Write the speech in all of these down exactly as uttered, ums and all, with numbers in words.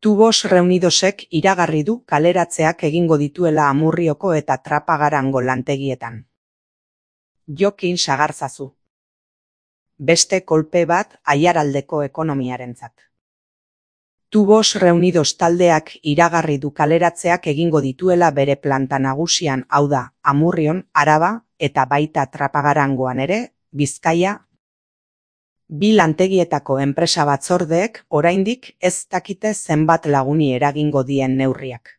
Tubos Reunidosek iragarri du kaleratzeak egingo dituela Amurrioko eta Trapagarango lantegietan. Jokin sagarzazu. Beste kolpe bat Aiaraldeko ekonomiarentzat. Tubos Reunidos taldeak iragarri du kaleratzeak egingo dituela bere planta nagusian, hau da, Amurrion, Araba eta baita Trapagarangoan ere, Bizkaia. Bi lantegietako enpresa batzordeek oraindik ez dakite zenbat laguni eragingo dien neurriak.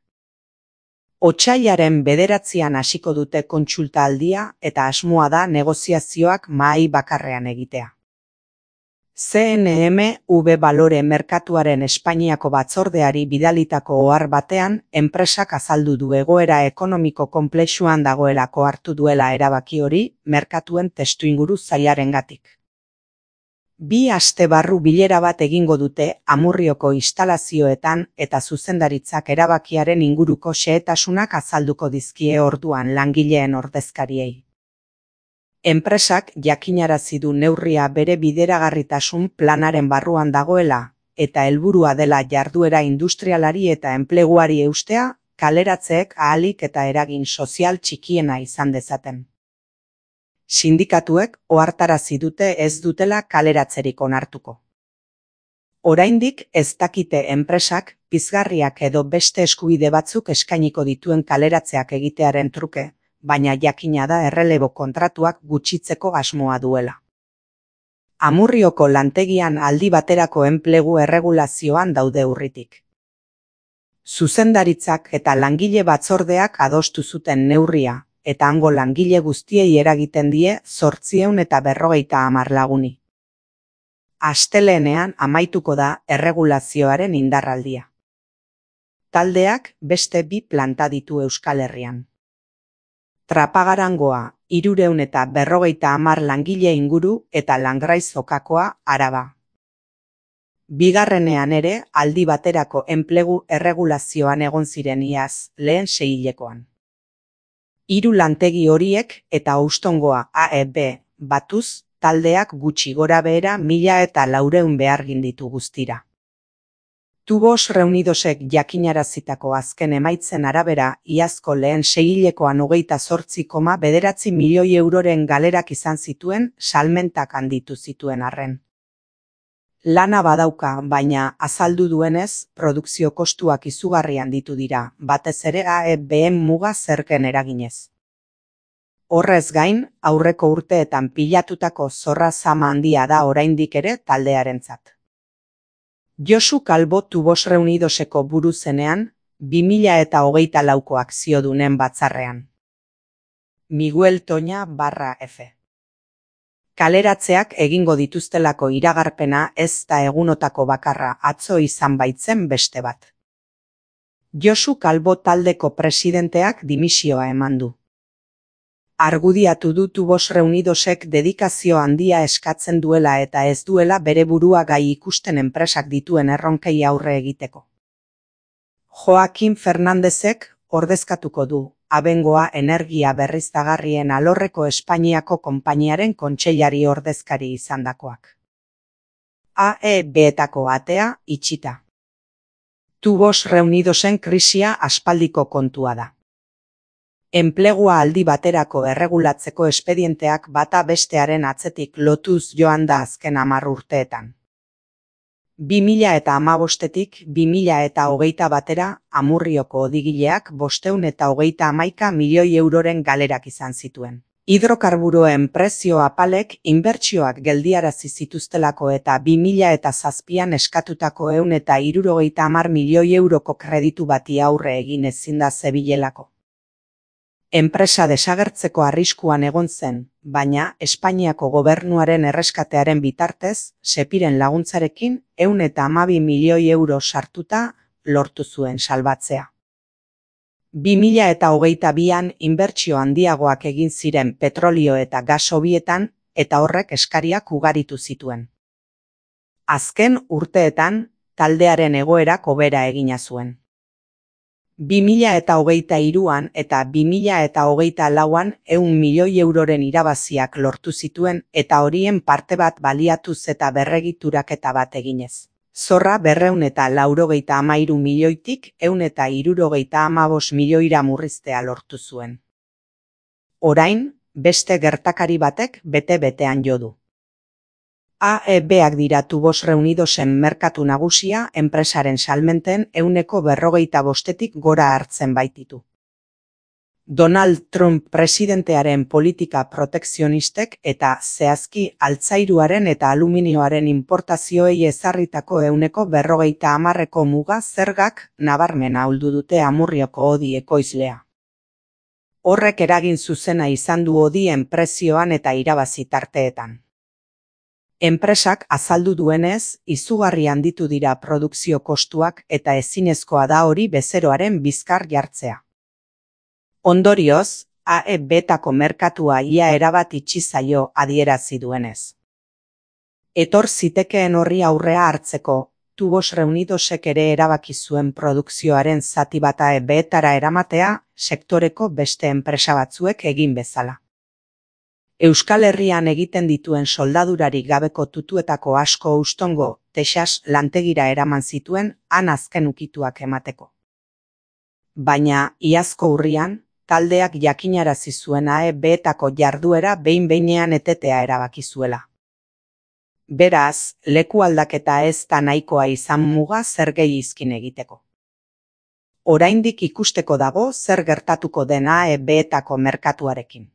Otsailaren bederatzian hasiko dute kontsulta aldia eta asmoa da negoziazioak mahai bakarrean egitea. C N M V Balore merkatuaren Espainiako batzordeari bidalitako ohar batean, enpresak azaldu du egoera ekonomiko konplexuan dagoelako hartu duela erabaki hori merkatuen testuinguru zailarengatik. Bi aste barru bilera bat egingo dute Amurrioko instalazioetan eta zuzendaritzak erabakiaren inguruko xehetasunak azalduko dizkie orduan langileen ordezkariei. Enpresak jakinarazi du neurria bere bideragarritasun planaren barruan dagoela eta helburua dela jarduera industrialari eta enpleguari eustea, kaleratzeek ahalik eta eragin sozial txikiena izan dezaten. Sindikatuek ohartarazi dute ez dutela kaleratzerik onartuko. Oraindik ez dakite enpresak pizgarriak edo beste eskubide batzuk eskainiko dituen kaleratzeak egitearen truke, baina jakina da errelebo kontratuak gutxitzeko asmoa duela. Amurrioko lantegian aldi baterako enplegu erregulazioan daude urritik. Zuzendaritzak eta langile batzordeak adostu zuten neurria, eta hango langile guztiei eragiten die zortziehun eta berrogeita hamar laguni. Astelehenean amaituko da erregulazioaren indarraldia. Taldeak beste bi planta ditu Euskal Herrian. Trapagarangoa hirurehun eta berrogeita hamar langile inguru eta Langraiz-Okakoa Araba. Bigarrenean ere aldi baterako enplegu erregulazioan egon ziren iaz, lehen seihilekoan. Hiru lantegi horiek eta Houstongoa A E B batuz, taldeak gutxi gora behera mila eta laurehun behargin ditu guztira. Tubos Reunidosek jakinarazitako azken emaitzen arabera, iazko lehen seihilekoan hogeita zortzi koma bederatzi milioi euroren galerak izan zituen, salmentak handitu zituen arren. Lana badauka, baina azaldu duenez, produkzio kostuak izugarri handitu dira, batez ere A E B-en muga zergen eraginez. Horrez gain, aurreko urteetan pilatutako zorra zama handia da oraindik ere taldearentzat. Josu Calvo Tubos Reunidoseko buru zenean, bi mila eta hogeita lauko akziodunen batzarrean. Miguel Toña barra F. Kaleratzeak egingo dituztelako iragarpena ez da egunotako bakarra, atzo izan baitzen beste bat. Josu Calvo taldeko presidenteak dimisioa eman du. Argudiatu du Tubos Reunidosek dedikazio handia eskatzen duela eta ez duela bere burua gai ikusten enpresak dituen erronkei aurre egiteko. Joaquin Fernandezek ordezkatuko du, Abengoa energia berriztagarrien alorreko Espainiako konpainiaren kontseilari ordezkari izandakoak. A E B-etako atea itxita. Tubos Reunidosen krisia aspaldiko kontua da. Enplegua aldi baterako erregulatzeko espedienteak bata bestearen atzetik lotuz joan da azken hamar urteetan. bi mila eta hamabostetik bi mila eta hogeita batera Amurrioko odigileak bostehun eta hogeita hamaika milioi euroren galerak izan zituen. Hidrokarburoen prezio apalek inbertsioak geldiarazi zituztelako eta bi mila eta zazpian eskatutako ehun eta hirurogeita hamar milioi euroko kreditu bati aurre egin ezin da zebilelako. Enpresa desagertzeko arriskuan egon zen, baina Espainiako gobernuaren erreskatearen bitartez, Sepiren laguntzarekin ehun eta hamabi milioi euro sartuta lortu zuen salbatzea. bi mila eta hogeita bian inbertsio handiagoak egin ziren petrolio eta gas hobietan eta horrek eskariak ugaritu zituen. Azken urteetan, taldearen egoerak hobera egina zuen. bi mila eta hogeita hiruan eta bi mila eta hogeita lauan ehun milioi euroren irabaziak lortu zituen eta horien parte bat baliatuz eta berregituraketa bat eginez. Zorra berreun eta laurogeita hamairu milioitik ehun eta hirurogeita hamabost milioira murriztea lortu zuen. Orain, beste gertakari batek bete-betean jo du. A E Bak dira Tubos Reunidosen merkatu nagusia enpresaren salmenten ehuneko berrogeita bostetik gora hartzen baititu. Donald Trump presidentearen politika protekzionistek eta zehazki altzairuaren eta aluminioaren importazioei ezarritako ehuneko berrogeita hamarreko muga zergak nabarmen ahuldu dute Amurrioko hodi ekoizlea. Horrek eragin zuzena izan du hodien prezioan eta irabazi tarteetan. Enpresak azaldu duenez, izugarri handitu dira produkzio kostuak eta ezinezkoa da hori bezeroaren bizkar jartzea. Ondorioz, A E Betako merkatua ia erabat itxi zaio adierazi duenez. Etor zitekeen horri aurrea hartzeko, Tubos Reunidosek ere erabaki zuen produkzioaren zati bat A E Betara eramatea sektoreko beste enpresa batzuek egin bezala. Euskal Herrian egiten dituen soldadurarik gabeko tutuetako asko Houstongo, Texas lantegira eraman zituen han azken ukituak emateko. Baina, iazko urrian, taldeak jakinarazi zuen A E Betako jarduera behin-behinean etetea erabaki zuela. Beraz, leku aldaketa ez da nahikoa izan muga zergei izkin egiteko. Oraindik ikusteko dago zer gertatuko den A E Betako merkatuarekin.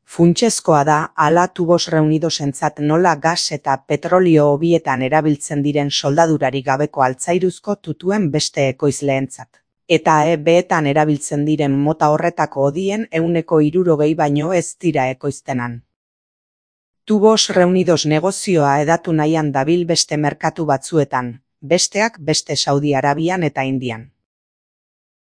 Funtsezkoa da hala Tubos Reunidosentzat nola gas eta petrolio hobietan erabiltzen diren soldadurarik gabeko altzairuzko tutuen beste ekoizleentzat. Eta A E Betan erabiltzen diren mota horretako hodien ehuneko hirurogei baino ez dira ekoiztenan. Tubos Reunidos negozioa hedatu nahian dabil beste merkatu batzuetan, besteak beste Saudi Arabian eta Indian.